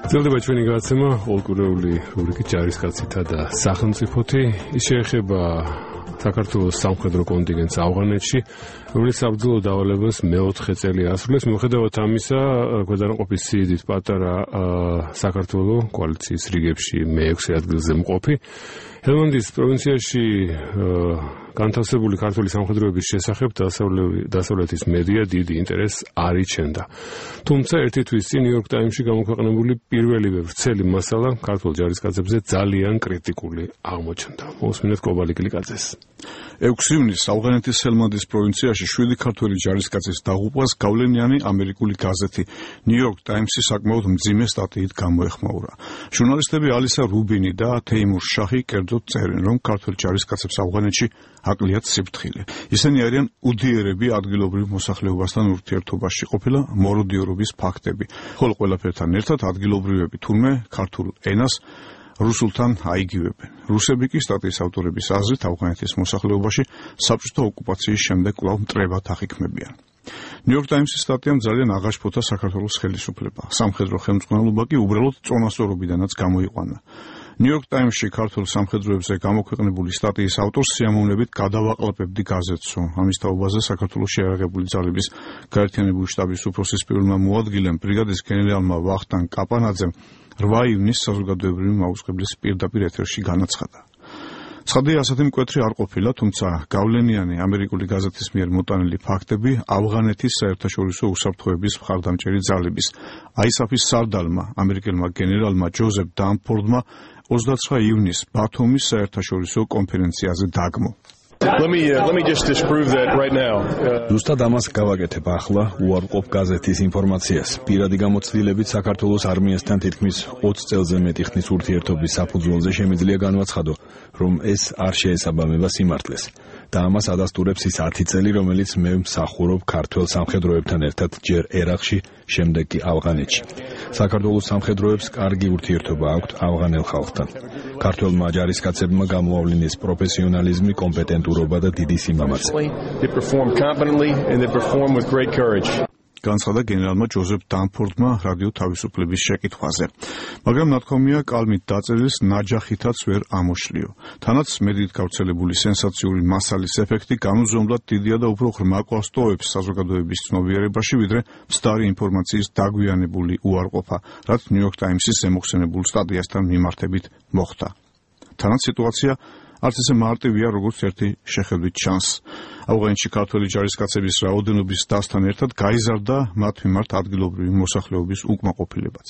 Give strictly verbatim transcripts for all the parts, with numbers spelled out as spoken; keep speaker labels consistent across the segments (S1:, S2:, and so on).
S1: ძლდება ჩვენი გადაცემა პოლკურეული რუბრიკი ჯარისკაცითა და სახელმწიფოთი. ის შეეხება საქართველოს სამხედრო კონტინგენტს ავღანეთში, რომელიც საბრძოლო დავალებას მეოთხე წელი ასრულებს. მიუხედავად ამისა, ქვედანაყოფის სიდიდით პატარა საქართველო კოალიციის რიგებში მეექვსე ადგილზე მყოფი. ჰელმანდის პროვინციაში განთავსებული ქართული სამხედროების შესახებ დასავლეთის მედია დიდი ინტერესს არ იჩენდა. თუმცა ერთი თვის წინ ნიუ-იორკ ტაიმსში გამოქვეყნებული პირველივე ვრცელი მასალა ქართულ ჯარისკაცებზე ძალიან კრიტიკული აღმოჩნდა. მოусმინეთ კობალი კლიკაძეს.
S2: ექვსი ივნისს ავღანეთის ჰელმანდის პროვინციაში შვიდი ქართველი ჯარისკაცის დაღუპვას გავლენიანი ამერიკული გაზეთი ნიუ-იორკ ტაიმსი საკმაოდ მძიმე სტატიით გამოეხმაურა. ჟურნალისტები ალისა რუბინი და თეიმურ შაჰი კერძოდ წერენ, რომ ქართველ ჯარისკაცებს ავღანეთში აკლიათ სიფრთხილე. ისინი არიან უდიერები ადგილობრივ მოსახლეობასთან ურთიერთობაში ყოფილა მოროდიორობის ფაქტები, ხოლო ყველაფერთან ერთად ადგილობრივები თურმე ქართულ ენას რუსულთან აიგივებენ. რუსები კი სტატიის ავტორების აზრით ავღანეთის მოსახლეობაში საბჭოთა ოკუპაციის შემდეგ კვლავ მტრებად აღიქმებიან. ნიუ-იორკ ტაიმსის სტატიამ ძალიან აღაშფოთა საქართველოს ხელისუფლება. სამხედრო ხელმძღვანელობა კი უბრალოდ წონასწორობიდანაც გამოიყვანა. ნიუ-იორკ ტაიმსში ქართულ სამხედროებზე გამოქვეყნებული სტატიის ავტორს სიამოვნებით გადავაყლაპებდი გაზეთს, ამის თაობაზე საქართველოში აერაღებული ძალების გაერთიანებული შტაბის უფროსის პირველმა მოადგილემ ბრიგადის გენერალმა ვახტანგ კაპანაძემ რვა ივნისს საზოგადოებრივი მაუწყებლის პირდაპირ ეთერში განაცხადა. ცხადია, ასეთი მკვეთრი არ ყოფილა, თუმცა გავლენიანი ამერიკული გაზეთის მიერ მოტანილი ფაქტები ავღანეთის საერთაშორისო უსაფრთხოების მხარდამჭერი ძალების აისაფის სარდალმა, ამერიკელმა გენერალმა ჯოზეფ დანფორდმა ოცდაცხრა ივნისს ბათუმის საერთაშორისო კონფერენციაზე დაგმო.
S3: Let me uh, let me just disprove that right now.
S4: ზუსტად ამას გავაკეთებ ახლა უარყოფ გაზეთის ინფორმაციას. პირადი გამოცდილებით საქართველოს არმიასთან თითქმის ოცი წელზე მეტი ხნის ურთიერთობის საფუძველზე შემიძლია განვაცხადო, რომ ეს არ შეესაბამება სიმართლეს. და ამას ადასტურებს ის ათი წელი, რომელიც მე მსახურობ ქართველ სამხედროებთან ერთად ჯერ ერაყში, შემდეგ კი ავღანეთში. საქართველოს სამხედროებს კარგი ურთიერთობა აქვთ ავღანელ ხალხთან. ქართველმა ჯარისკაცებმა გამოავლინეს პროფესიონალიზმი, კომპეტენტურობა და დიდი სიმამაცე.
S2: განცხადა გენერალმა ჯოზეფ დანფორდმა რადიო თავისუფლების შეკითხვაზე. მაგრამ ნათქვამია კალმით დაწერილს ნაჯახითაც ვერ ამოშლიო. თანაც მედიით გავრცელებული სენსაციური მასალის ეფექტი განუზომლად დიდია და უფრო ღრმა კლავს ტოვებს საზოგადოების ცნობიერებაში, ვიდრე მცდარი ინფორმაციის დაგვიანებული უარყოფა, რაც ნიუ-იორკ ტაიმსის ზემოხსენებულ სტატიასთან მიმართებით მოხდა. თანაც სიტუაცია არც ისე მარტივია, როგორც ერთი შეხედვით ჩანს. ავღანეთში ქართველი ჯარისკაცების რაოდენობის დასთან ერთად გაიზარდა მათ მიმართ ადგილობრივი მოსახლეობის უკმაყოფილებაც.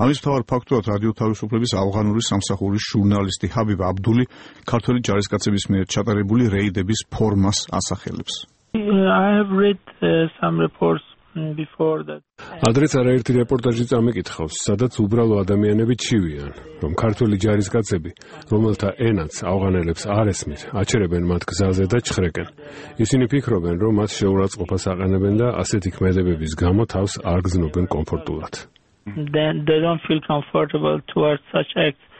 S2: ამის მთავარ ფაქტორად რადიო თავისუფლების ავღანური სამსახურის ჟურნალისტი ჰაბიბ აბდული ქართველი ჯარისკაცების მიერ ჩატარებული რეიდების ფორმას ასახელებს.
S5: I have read uh, some reports before that.
S1: ადრეც არაერთი რეპორტაჟი წამეკითხავს, სადაც უბრალო ადამიანები ჩივიან, რომ ქართველი ჯარისკაცები, რომელთა ენაც ავღანელებს არ ესმით, აჩერებენ მათ გზაზე და ჩხრეკენ. ისინი ფიქრობენ, რომ მათ შეურაცხყოფას აყენებენ და ასეთი ქმედებების გამო თავს არ გზნობენ კომფორტულად.
S5: Then they don't feel comfortable towards such acts.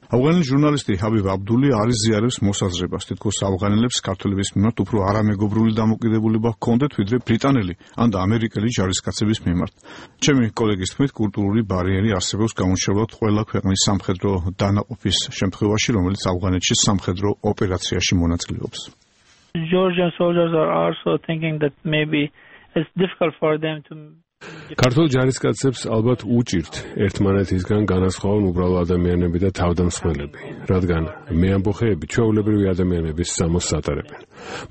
S2: ავღანელი ჟურნალისტი ჰაბიბ აბდული არის ზიარებს მოსაზრებას, თითქოს ავღანელებს ქართველების მიმართ უფრო არამეგობრული დამოკიდებულება ჰქონდეთ, ვიდრე ბრიტანელი ან ამერიკელი ჯარისკაცების მიმართ. ჩემი კოლეგის თქმით, კულტურული ბარიერი არსებობს გამორჩეულად ყველა ქვეყნის სამხედრო დანაყოფის შემთხვევაში, რომელიც ავღანეთში სამხედრო ოპერაციაში მონაწილეობს.
S5: Georgian soldiers are also thinking that maybe it's difficult for them to
S1: ქართულ ჯარისკაცებს ალბათ უჭირთ ერთმანეთისგან განასხვავონ უბრალო ადამიანები და თავდამსხმელები, რადგან მეამბოხეები ჩვეულებრივი ადამიანების სამოსს ატარებენ.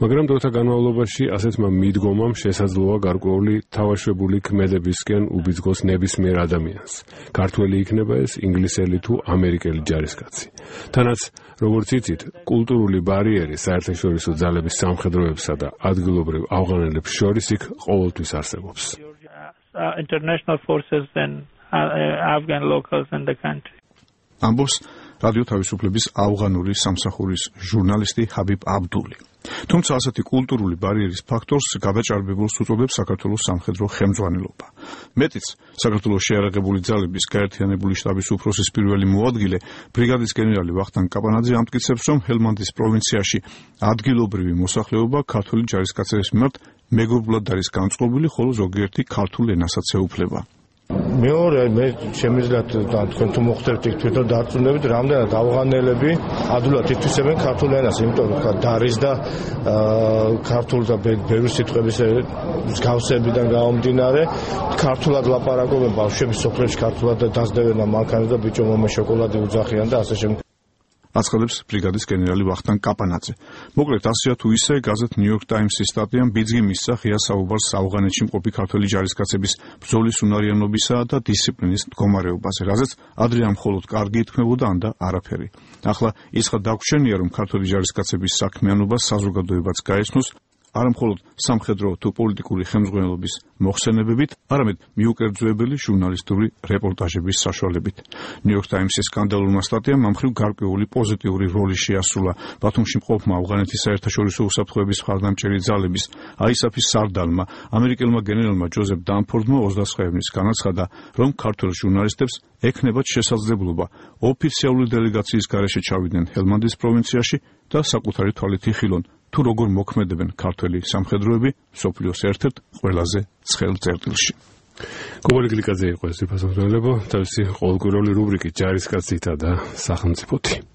S1: მაგრამ დროთა განმავლობაში ასეთმა მიდგომამ შესაძლოა გარკვეული თავაშვებული ქმედებისკენ უბიძგოს ნებისმიერ ადამიანს. ქართველი იქნება ეს ინგლისელი თუ ამერიკელი ჯარისკაცი. თანაც, როგორც იცით, კულტურული ბარიერი საერთაშორისო ძალების სამხედროებსა და ადგილობრივ ავღანელებს შორის იქ ყოველთვის არსებობს.
S5: Uh, international forces and uh, Afghan locals in the country.
S2: ამბობს რადიო თავისუფლების ავღანური სამსახურის ჟურნალისტი ჰაბიბ აბდული. თუმცა ასეთი კულტურული ბარიერის ფაქტორს გადაჭარბებულს უწოდებს საქართველოს სამხედრო ხელმძღვანელობა. მეტიც, საქართველოს შეიარაღებული ძალების გაერთიანებული შტაბის უფროსის პირველი მოადგილე, ბრიგადის გენერალი ვახტანგ კაპანაძე ამტკიცებს, რომ ჰელმანდის პროვინციაში ადგილობრივი მოსახლეობა ქართული ჯარისკაცების მიმართ მეგობრულად არის განწყობილი, ხოლო ზოგიერთი ქართულ ენასაც ეუფლება.
S6: მეორე მე შემიძლია თქვენ თუ მოხდებით იქ თვითონ დარწმუნებით რამდენად ავღანელები ადვილად ითვისებენ ქართულ ენას, იმიტომ რომ და არის და ქართულ და ბევრი სიტყვების მსგავსებიდან გამომდინარე ქართულად ლაპარაკობენ ბავშვები სოფლებში ქართულად და დასდევენ მანქანას და ბიჭო მამა შოკოლადი უძახიან და ასე შემდეგ.
S2: აცხადებს ბრიგადის გენერალი ვახტანგ კაპანაძე. მოკლედ ასეა თუ ისე გაზეთ New York Times-ის სტატიამ ბიძგი მისცა ღია საუბარს ავღანეთში მყოფი ქართველი ჯარისკაცების ბრძოლის უნარიანობისა და დისციპლინის მდგომარეობაზე, რაზეც ადრე მხოლოდ კარგი ითქმებოდა ან და არაფერი. ახლა ისხა დაგვრჩენია, რომ ქართველი ჯარისკაცების საქმიანობა საზოგადოებაც გაეცნოს არა მხოლოდ სამხედრო თუ პოლიტიკური ხელმძღვანელობის მოხსენებებით, არამედ მიუკერძოებელი ჟურნალისტური რეპორტაჟების საშუალებით. New York Times-ის სკანდალურმა სტატიამ ამ მხრივ გარკვეული პოზიტიური როლი შეასრულა ბათუმში მყოფმა ავღანეთის საერთაშორისო უსაფრთხოების მხარდამჭერი ძალების აისაფის სარდალმა, ამერიკელმა გენერალმა ჯოზეფ დანფორდმა ოცდაცხრა ივნის განაცხადა, რომ ქართველ ჟურნალისტებს ექნებათ შესაძლებლობა ოფიციალური დელეგაციის გარეშე ჩავიდნენ ჰელმანდის პროვინციაში და საკუთარი თვალით იხილონ თუ როგორ მოქმედებენ ქართველი სამხედროები მსოფლიოს ერთ-ერთ ყველაზე ცხელ წერტილში.
S1: კობალი გლიკაძე იყო ეს ფასონელებო, თავისი ყოველკვირეული რუბრიკით ჯარისკაცითა და სახელმწიფოთი.